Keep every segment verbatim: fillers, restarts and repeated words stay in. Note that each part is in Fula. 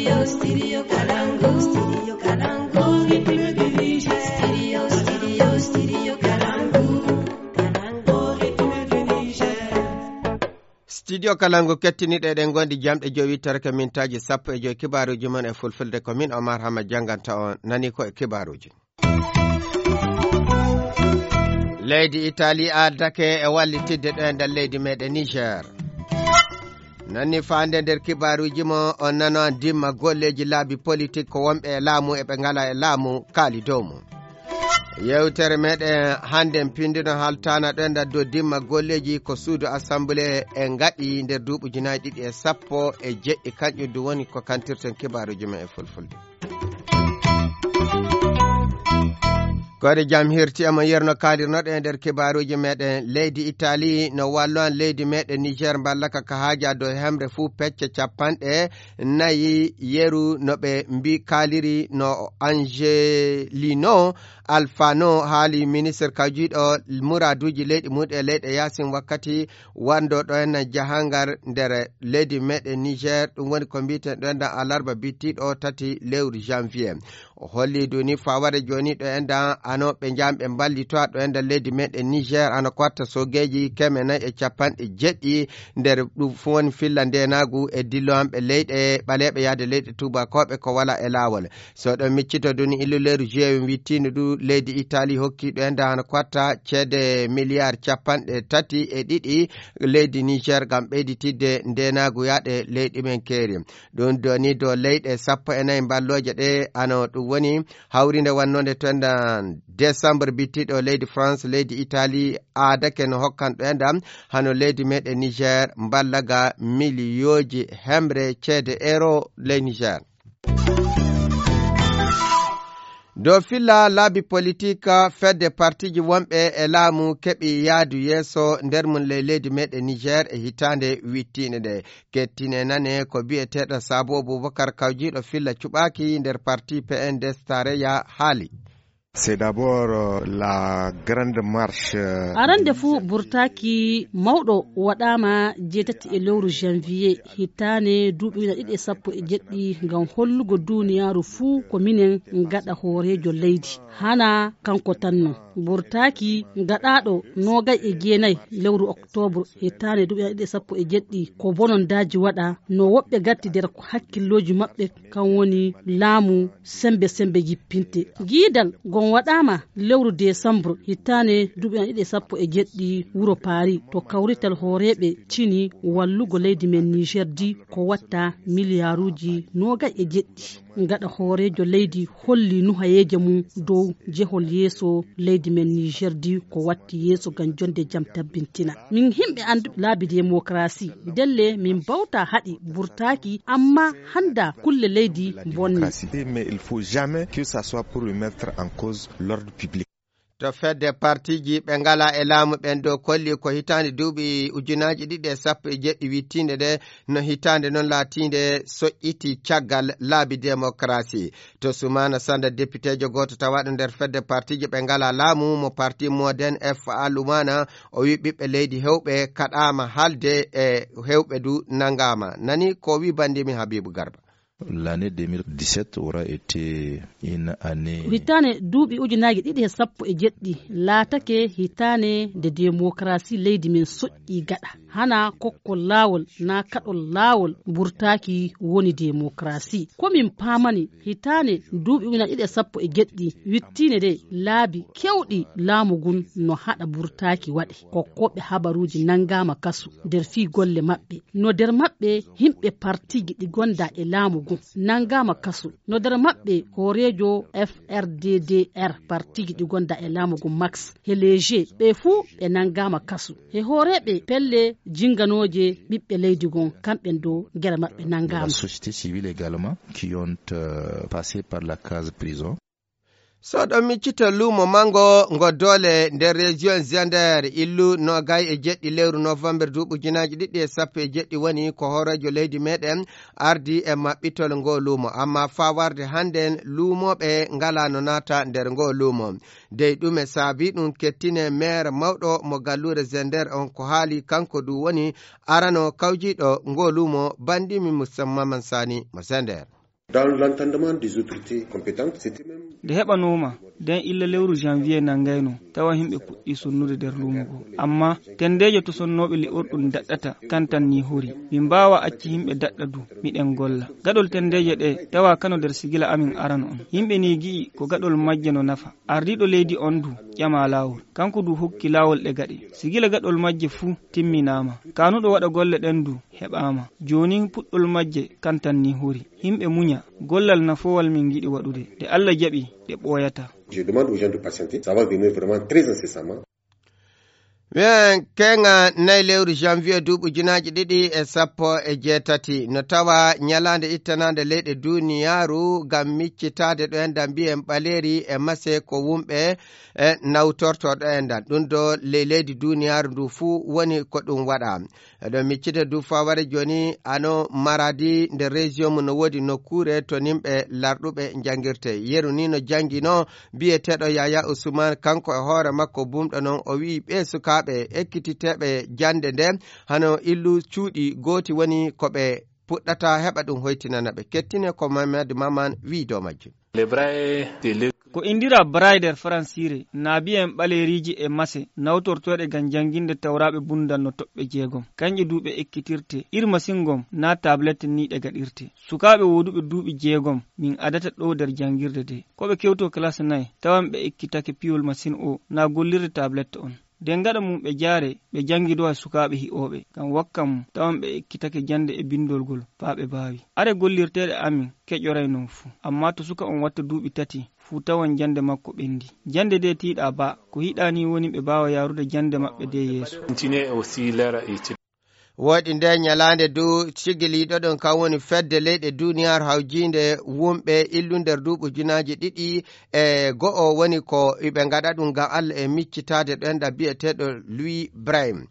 Studio Kalangu. Studio Kalangu. Studio Kalangu. Studio Kalangu kettiniɗo eɗen gondi jamɗe jowi tarke mintaaji sappo e jowi kibaaruuji mon e fulfulde. Ko min Omar Hama jannganta on, nani ko e kibaaruuji. Leydi Itali addake e wallitidde ɗo e nder leydi meɗen Niger. Nanni faande nder kibaaruuji mo on nano an dimma golleeji laabi politik ko wonɓe e laamu e ɓe ngala e laamu kaali dow mum. Yewtere meɗen hannden pindino haltana ɗo e nder dow dimma golleeji ko suudu assemblée e ngaɗi nder duuɓi ujunaaji ɗiɗi e sappo e jeɗɗi, kanƴum du woni ko kantirten kibaaruuji men e fulfulde. Koyɗe jam hirti e mo yerno kaalirnoɗe e nder kibaaruuji meɗen. Leydi Itali no wallo an leydi meɗen Niger mballaka ka haaja dow hemre fuu pecce capanɗe nayi yeru no ɓe mbi kaaliri no Angelino Alfano haali ministre kawjiiɗo muraaduuji leyɗe muɗum e leyɗe yaasin wakkati wando ɗo en jahangal nder leydi meɗen Niger. Ɗum woni ko mbiten ɗo en alarba bittiɗo tati lewru janvier. O holli duni fawade joni ɗo en da ano ɓe jam ɓe mballito ɗo en da leydi meɗen Niger ano ko watta sogeji keme nayi e capanɗe jeɗɗi nder ɗum fu woni filla ndenagu e dillowanɓe leyɗe ɓaleɓe yaade leyɗe tubakoɓe ko wala e lawol. So ɗo miccito duni illuleeru jeewi wittino ɗum leydi Itali hokki ɗo en da ano ko watta ceede miliyar capanɗe tati e ɗiɗi leydi Niger ngam ɓeyditidde ndenagu yaade leyɗi men keeri. Ɗum doni dow leyɗe sappo e nayi mballooje ɗe ano ɗum woni hawrinde wannode to endan décembre bittiɗo leydi France, leydi Italie aadake no hokkan ɗo endan hano leydi meɗen Niger mballaga miliyooji hemre ceede euro ley Niger. Dow filla laabi politik fedde partiji wonɓe e laamu keɓi yaadu yeeso nder mum ley leydi meɗen Niger e hitaande wittiinde nde. Kettine nane ko biyeteeɗo Sabo Boubacar kawjiiɗo filla cuɓaaki nder parti P N D S Tareya haali. C'est d'abord, euh, la grande marche, euh, arande fuu burtaaki mawɗo waɗaama jeetati e lewru janvier hitaane duuɓi ujunaaji ɗiɗi e sappo e jeɗɗi ngam hollugo duuniyaaru fuu ko minen ngaɗa hooreejo leydi. Hana kanko tan non. Burtaaki gaɗaaɗo noogay e jeenay lewru oktoobre hitaande duuɓi ujunaaji ɗiɗi e sappo e jeɗɗi ko bonondaaji waɗa no woɓɓe gatti nder hakkillooji maɓɓe kan woni laamu sembe sembe jippinte. Giidal ngon waɗaama lewru desambre hitaande duuɓi ujunaaji ɗiɗi e sappo e jeɗɗi wuro Paris to kawrital hooreeɓe cini wallugo leydi men Niger di ko watta miliyaaruuji noogay e jeɗɗi. Gaɗa hooreejo leydi holli nuhayeeje mum dow jehol yeeso leydi men Niger di ko watti yeeso ngam jonde jam tabbintina. Min himɓe annduɓe laabi démocratie, ndelle min mbawta haɗi burtaaki, amma hannda kulle leydi bonni. Démocratie, mais il faut jamais que ça soit pour remettre en cause l'ordre public. To fedde partiji ɓe ngala e laamu ɓen ɗo kolli ko hitaande duuɓi ujunaaji ɗiɗi e sappo e jeɗɗi wittiinde nde no hitaande non laatiinde soƴƴiti caggal laabi démocratie. To Sumana Sanda, députéjo gooto tawaaɗo nder fedde partiji ɓe ngala laamu mo parti Moden F A Lumana, o wi ɓiɓɓe leydi hewɓe kaɗaama halde e hewɓe du nangaama. Nani ko wi bandimi Habibu Garba. L'année deux mille dix-sept aura été une année. Hitaane duuɓi ujunaaji ɗiɗi e sappo e jeɗɗi laatake hitaane nde démocratie leydi men soƴƴi gaɗa. Hana kokkol laawol na kaɗol laawol burtaaki woni démocratie. Ko min paamani hitaane duuɓi ujunaaji ɗiɗi e sappo e jeɗɗi wittiinde nde laabi kewɗi laamu ngun no haɗa burtaaki waɗe. Kokkooɓe habaruuji nangaama kasu nder fii golle maɓɓe. No nder maɓɓe himɓe partiji ɗi gonda e laamu ngun nangaama kasu. No nder maɓɓe hooreejo F R D D R partiji ɗi gonda e laamu ngun Max. He Leger ɓe fuu ɓe nangaama kasu. He hooreeɓe pelle jinganooje ɓiɓɓe leydi ngon kamɓen do gere maɓɓe nangaama. La société civile également qui ont, euh, passé par la case prison. So ɗon miccito luumo mango ngo doole nder région Ziender illu noogay e jeɗɗi lewru novembre duuɓi ujunaaji ɗiɗi e sappo e jeɗɗi woni ko hooreejo leydi meɗen ardi e maɓɓitol ngo luumo. Amma faa warde hannden luumooɓe ngalaa no naata nder ngo luumo. Dey ɗume saabi ɗum kettine meer mawɗo mo galluure Ziender on ko haali kanko du woni arano kawjiiɗo ngo luumo bandimi Musamman Sani mo Ziender. Dans l'entendement des autorités compétentes, c'était même nde heɓanooma nden illa lewru janvier nanngayno, tawa yimɓe puɗɗii sonnude nder luumo ngoo. Ammaa tenndeejo to sonnooɓe li'orɗum daɗɗata kan tan nii hori. Min mbaawaa acci yimɓe daɗɗa du, miɗen golla. Gaɗol tenndeeje ɗee tawa kano nder sigila amin aran on. Yimɓe nii ngi'i ko gaɗol majje no nafa. Ardiiɗo leydi on du ƴamaa laawol. Kanko du hokki laawol ɗe gaɗe. Sigila gaɗol majje fuu timminaama. Kaanuɗo waɗa golle ɗen du heɓaama. Joonin puɗɗol majje kan tan nii hori. Yimɓe muña. Gollal nafoowal min ngiɗi waɗude. Nde Alla jaɓi, ɗe ɓooyataa. Je demande aux gens de patienter. Ça va venir vraiment très incessamment. Ɓen keŋa nayi lewru janvier duuɓi ujunaaji ɗiɗi e sappo e jeetati. No tawa ñalaande ittanaande leyɗe duuniyaaru ngam miccitaade ɗo en da mbiyen ɓaleeri e mase ko wumɓe e nawtorto ɗo en dan. Ɗum do ley leydi duuniyaaru ndu fuu woni ko ɗum waɗa. Eɗon miccita du faware jooni ano Maradi nder région mum no woodi nokkuure to nimɓe larɗuɓe njangirte. Yeru ni no janngino biyeteeɗo Yaya Usman, kanko e hoore makko bumɗo noon, o wi'i ɓee sukaaɓe ekkititeeɓe jannde nde hano illu cuuɗi gooti woni ko ɓe puɗɗata heɓa ɗum hoytinana ɓe. Kettine ko Mamadou Maman wi'i dow majjum. Ko indira braille nder faransiire, na biyen ɓaleeriiji e mase, nawtortooɗe ngam jannginde tawraaɓe bundan no toɓɓe jeegom. Kanƴe du ɓe ekkitirte, ir masin gom na tablette ni ɗe gaɗirte. Sukaaɓe wooduɓe duuɓi jeegom min adata ɗo nder janngirde de. Ko ɓe kewto classe nay, tawan ɓe ekkitake piyol masin o na gollirde tablette on. Nden gaɗa mum ɓe jaare, ɓe janngidowa sukaaɓe hi'ooɓe. Ngam wakka mum, tawan ɓe ekkitake jannde e binndol ngol faa ɓe baawi. Are gollirteeɗe amin keƴoray non fuu. Ammaa to suka on watta duuɓi tati, fuu tawan jannde makko ɓendi. Jannde de tiiɗa ba, ko hiɗa ni woni ɓe baawa yaarude jannde maɓɓe de yeeso. Continuer aussi leur étude. Woɗi nde ñalaande du sigiliiɗo ɗon kan woni fedde leyɗe duuniyaaru hawjiinde wumɓe illu nder duuɓi ujunaaji ɗiɗi e go'o woni ko iɓe ngaɗa ɗum ngam Allah e miccitaade ɗo enɗa biyeteeɗo Louis Brahim.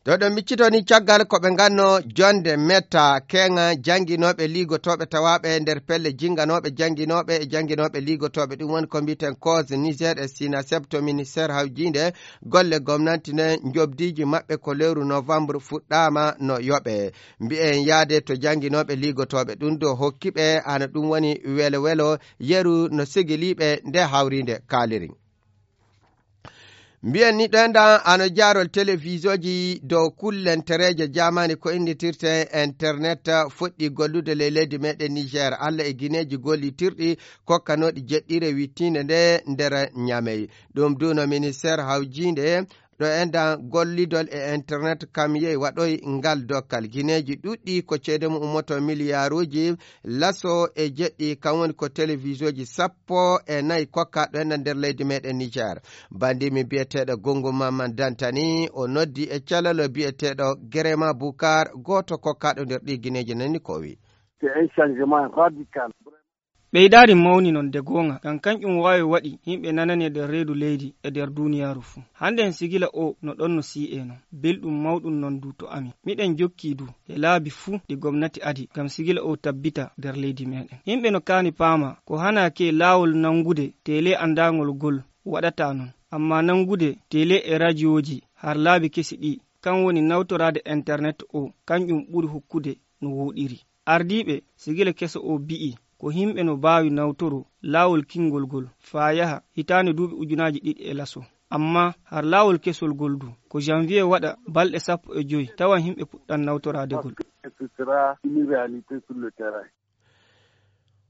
To ɗo miccito ni caggal ko ɓe nganno jonde metta keŋa jannginooɓe liigotooɓe tawaaɓe nder pelle jinnganooɓe jannginooɓe e jannginooɓe liigotooɓe. Ɗum woni ko mbiten cause Niger e Sinaseb to ministère hawjiinde golle gomnanti nden njobdiiji maɓɓe ko lewru novembre fuɗɗaama no yoɓe. Mbiyen yaade to jannginooɓe liigotooɓe ɗum do hokki ɓe hano ɗum woni welo welo yeru no sigiliiɓe nde hawriinde kaaliri. Mbiyen ni ɗoyda ano jaarol télévisioji dow kullentereeje jaamaani ko innditirte internet fuɗɗi gollude ley leydi meɗen Niger. Allah e gineeji gollitirɗi kokkanooɗi jeɗɗire wittiinde nde nder Ñamey. Ɗum du no ministère hawjiinde ɗo enɗan gollidol e internet kam yehi waɗoy ngal dokkal. Gineeji ɗuɗɗi ko ceede mum ummoto miliyaaruuji laso e jeɗɗi, kam woni ko télévisioji sappo e nayi kokka ɗo enɗan nder leydi meɗen Niger. Bandimi biyeteeɗo Gongo Mamman Dantani, o noddi e calalo biyeteeɗo Gerema Bukar, gooto kokkaɗo nder ɗi gineeji nani ko o wi. C'est un changement radical. Ɓeydaari mawni non de goonga, ngam kanƴum waawi waɗi yimɓe nanani e nder reedu leydi e nder duuniyaaru fuu. Hannde en sigila o no ɗon no sii'e non. Belɗum mawɗum non du to amin. Miɗen jokki du e laabi fuu ɗi gomnati adi ngam sigila o tabbita nder leydi meɗen. Yimɓe no kaani paama ko hanaaki laawol nanngude tele anndaangol gol waɗata non. Ammaa nanngude tele e rajooji har laabi kesi ɗi, kan woni nawtoraade internet o, kanƴum ɓuri hokkude no wooɗiri. Ardiiɓe sigila keso o bi'i ko yimɓe no baawi nawtoro laawol kinngol ngol faa yaha hitaande duuɓi ujunaaji ɗiɗi e laso. Ammaa har laawol kesol ngol du, ko janvier waɗa balɗe sappo e joy tawan yimɓe puɗɗan nawtoraade ngol.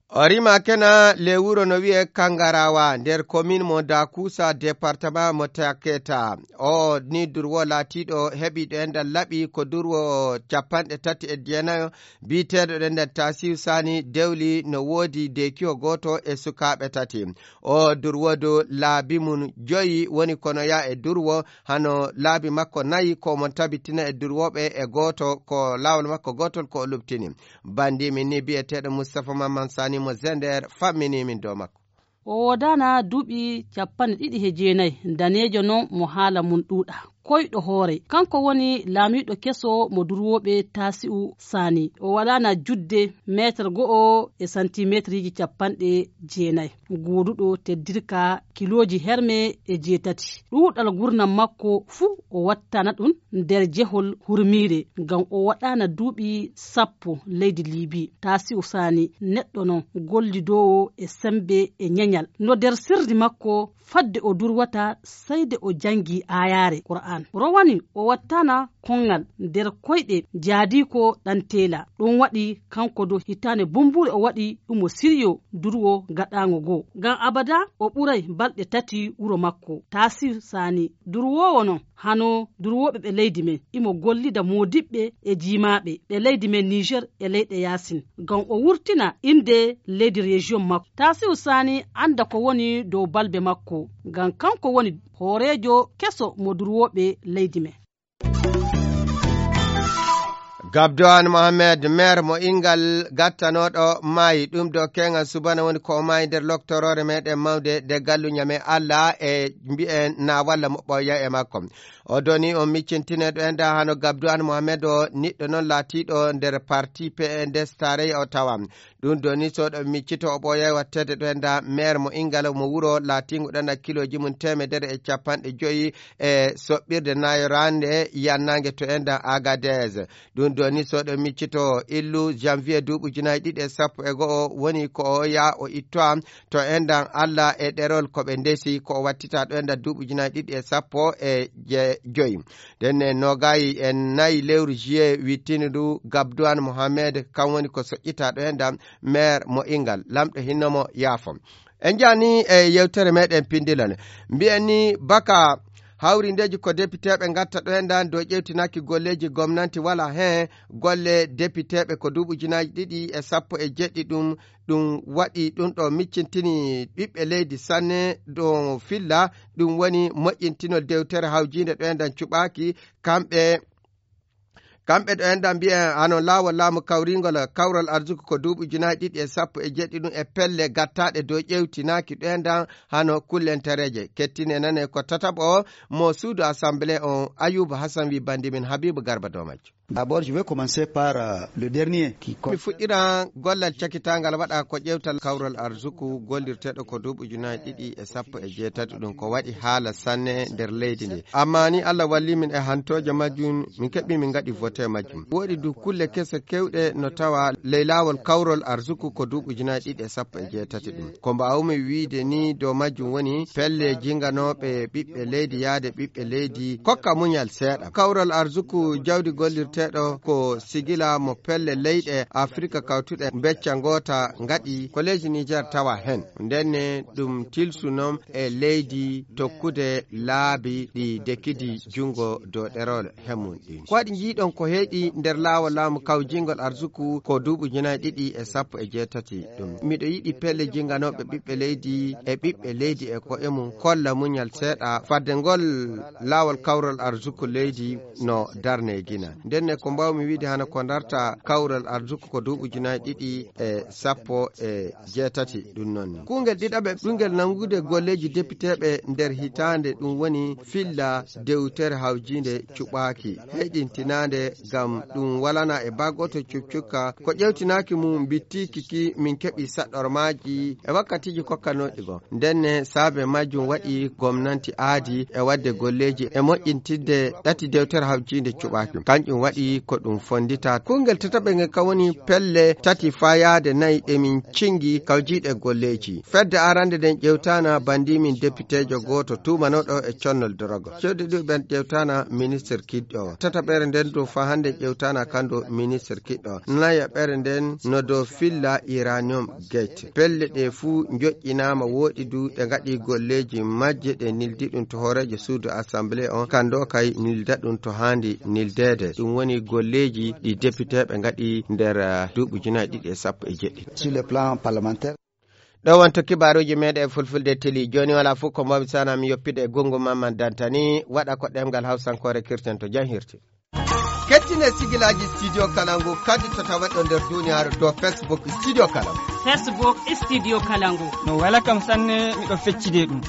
O rima kena le wuro no wi'e Kangarawa nder commune mo Dakusa, département mo Taketa. O ni durwo laatiiɗo heɓiiɗo enɗan laɓi ko durwo capanɗe tati e jeenayo biyeteeɗo ɗen nder Tasiu Sani dewli no woodi deekiho gooto e sukaaɓe tati. O durwo du laabi mum joyi woni kono ya e durwo hano laabi makko nayi ko mon tabitina e durwoɓe e gooto ko laawol makko gootol ko o luɓtini. Bandiimi ni biyeteeɗo Mustapha Mamman Sani mo Zender fammini min dow makko. O woodana duuɓi capanɗe ɗiɗi he jeenayi, daneejo non mo haala mum ɗuuɗa. koyɗo hoore. Kanko woni laamiiɗo keso mo durwooɓe Taasi'u Saani. O waɗaana judde meetar go'o e santimeetriiji capanɗe jeenayi. Gooduɗo teddirka kilooji herme e jeetati. Ɗuuɗal gurnam makko fuu o wattana ɗum nder jehol hurmiire, ngam o waɗaana duuɓi sappo leydi Liibi. Taasi'u Saani neɗɗo non gollidoowo e semmbe e ñeñal. No nder sirri makko fadde o durwata sey de o janngi aayaare Qur'aan. Rowani o wattana konŋal nder koyɗe jaadiiko ɗan teela. Ɗum waɗi kanko dow hitaande bumbuure o waɗi ɗum o siryo durwo gaɗaango goo. Ngam abada o ɓuray balɗe tati wuro makko. Taasir Saani durwoowo non hano durwooɓe ɓe leydi men. Imo gollida moodiɓɓe e jiimaaɓe ɓe leydi men Niger e leyɗe yaasin. Ngam o wurtina innde leydi rejiyon makko. Taasiru Saani annda ko woni dow balbe makko. Ngam kanko woni hooreejo keso mo durwooɓe leydi men. Gabdowan Mohamed, maire mo Ingal gattanooɗo maayi, ɗum ɗo keeŋal subana woni ko o maayi nder loktoroore meɗen mawnde nde gallu ñame Allah e mbi'en na walla moɓɓoya e makko. O doni on miccintine ɗo enda hano Gabdowan Mohamed o niɗɗo non laatiiɗo nder parti P N D S tarayya o tawa. Ɗum doni so ɗo miccito o ɓooyay wattede ɗo enda maire mo Ingal mo wuro laatiingo ɗon a kilooji mum teemedere e capanɗe joyi e soɓɓirde nayorande yannaange to enda Agadez. Ɗum doni so ɗo miccito illu janvier duuɓi ujunaaji ɗiɗi e sappo e go'o woni ko o yaa o ittoa to endan Allah e ɗerol ko ɓe ndesi ko o wattita ɗo endan duuɓi ujunaaji ɗiɗi e sappo e je-, joyi. Ɗen e nogayi e nayi lewru juillet wittini ndu Gabdouane Mohamed, kan woni ko soƴƴita ɗo endan maire mo Ingal. Lamɗo hinno mo yaafo. En jani e yewtere meɗen pindilal. Mbiyen ni baka hawrindeji ko depiteɓe gatta ɗo endan dow ƴewtinaki golleji gomnanti wala hen golle depiteɓe ko duuɓi ujunaaji ɗiɗi e sappo e jeɗɗi ɗum, ɗum waɗi ɗum ɗo miccintini ɓiɓɓe leydi sanne ɗo filla, ɗum woni moƴƴintinol dewtere hawjinde ɗo endan cuɓaki kamɓe, kamɓe ɗo endan mbiyen hano laawol laamu kawringol kawral arsuku ko duuɓi ujunaaji ɗiɗi e sappo e jeɗɗi ɗum e pelle gattaɗe dow ƴewtinaaki ɗo endan hano kullentereeje. Kettine nane ko tataɓo mo suudu assemblée on Ayuba Hassan wi bandi min Habibu Garba dow majjo. D'abord, je vais commencer par, euh, le dernier qui mi fuɗɗiran gollal cakitangal waɗa ko ƴewtal kawral arsuku gollirteɗo ko duuɓi ujunaaji ɗiɗi e sappo e jeetati ɗum ko waɗi haala sanne nder leydi ndi. Amma ni Allah walli min e hantooje majjum min keɓɓi min ngaɗi vote majjum. Woɗi du kulle kese kewɗe no tawa ley laawol kawrol arsuku ko duuɓi ujunaaji ɗiɗi e sappo e jeetati ɗum. Ko mbaawmi wiide ni dow majjum woni pelle jinganooɓe ɓiɓɓe leydi yaade ɓiɓɓe leydi kokka muñal seeɗa. Kawral arsuku jawdi gollirteeɗo ko sigila mo pelle leyɗe Afrika kawtuɗe becca ngoota ngaɗi ko leydi Niger tawa hen. Ndenne ɗum tilsu non e leydi tokkude laabi ɗi dekidi jungo dow ɗerol hemum ɗin. Ko waɗi jiiɗon ko heyɗi nder laawol laamu kawjingol arsuku ko duuɓi ujunaaji ɗiɗi e sappo e jeetati ɗum. Miɗo yiɗi pelle jinganooɓe ɓiɓɓe leydi e ɓiɓɓe leydi e ko'e mum kolla muñal seeɗa fadde ngol laawol kawral arsuku leydi no darne gina. Ndenne ko mbawmi wiide hana ko darta kawral arsuku ko duuɓi ujunaaji ɗiɗi e sappo e jeetati ɗum noon. Kungel ɗiɗaɓe ɓingel nangude golleji depiteɓe nder hitaande ɗum woni filla dewtere hawjinde cuɓaaki heyɗintinaande ngam ɗum walana e bagoto cukcukka ko ƴewtinaaki mum mbittiki ki min keɓi saɗɗormaaji e wakkatiji kokkanoɗi go. Ndenne saabe majjum waɗi gomnanti aadi e wadde golleji e moƴƴintinde ɗati dewtere hawjinde cuɓaaki. Kanƴum waɗi ko ɗum fondita. Kungel tataɓe ngel ka woni pelle tati fayaade nayi ɗe min cingi kawjiɗe golleji. Fedde arande nden ƴewtana bandi min depitejo gooto tuumanoɗo e connol dorogo. Cewɗe ɗiɗi ɓen ƴewtana ministre kiɗɗo. Tataɓere nden dow fa hande ƴewtana kando ministre kiɗɗo. Nayaɓere nden no dow filla uranium gate. Pelle ɗe fuu njoƴƴinaama wooɗi du ɗe ngaɗi golleeji majje ɗe nildi ɗum to hooreejo suudu assemblée on. Kando kay nilda ɗum to haandi nildeede. Ɗum woni golleeji ɗi depiteeɓe ngaɗi nder, ah, duuɓi ujunaaji ɗiɗi e sappo e jeɗɗi. Sur le plan parlementaire. Ɗo wonto kibaaruuji meeɗen e fulfulde teli. Jooni wala fof ko mbawmi sana mi yoppide e gongo Mamman Dantani, waɗa ko ɗemngal Hawsankoore kirten to jam hirti. Kettine sigilaaji Studio Kalangu kadi to tawaɗo nder duniyaaru to Facebook Studio Kalangu. Facebook Studio Kalangu. No wela kam sanne, miɗo feccide ɗum.